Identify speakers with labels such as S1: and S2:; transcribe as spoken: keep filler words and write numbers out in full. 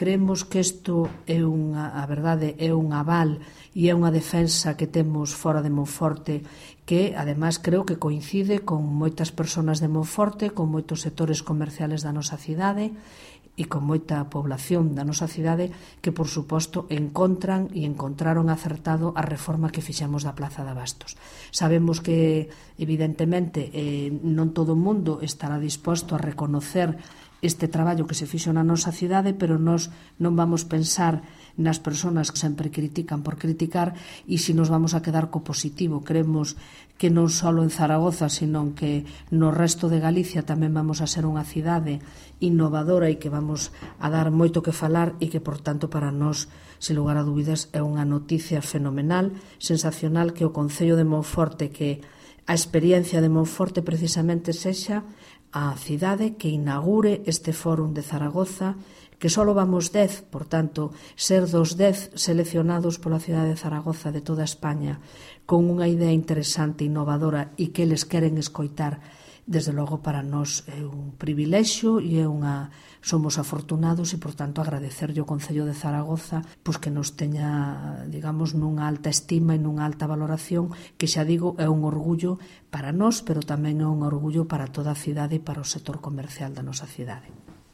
S1: Creemos que isto é unha, a verdade, é un aval e é unha defensa que temos fora de Monforte que, ademais, creo que coincide con moitas persoas de Monforte, con moitos sectores comerciales da nosa cidade e con moita población da nosa cidade que, por suposto, encontran e encontraron acertado a reforma que fixemos da Plaza de Abastos. Sabemos que, evidentemente, eh, non todo o mundo estará disposto a reconocer este traballo que se fixo na nosa cidade, pero nós non vamos pensar nas persoas que sempre critican por criticar e se nos vamos a quedar co positivo. Creemos que non só en Zaragoza, sino que no resto de Galicia tamén vamos a ser unha cidade innovadora e que vamos a dar moito que falar e que, por tanto, para nós, sen lugar a dúbidas, é unha noticia fenomenal, sensacional, que o Concello de Monforte, que a experiencia de Monforte precisamente sexa a cidade que inaugure este fórum de Zaragoza, que só vamos dez, por tanto, ser dos dez seleccionados pola cidade de Zaragoza de toda España con unha idea interesante, innovadora e que eles queren escoitar, desde logo para nós é un privilexio e é unha somos afortunados e, por tanto, agradecerlle ao Concello de Zaragoza pois que nos teña, digamos, nunha alta estima e nunha alta valoración, que xa digo, é un orgullo para nós, pero tamén é un orgullo para toda a cidade e para o sector comercial da nosa cidade.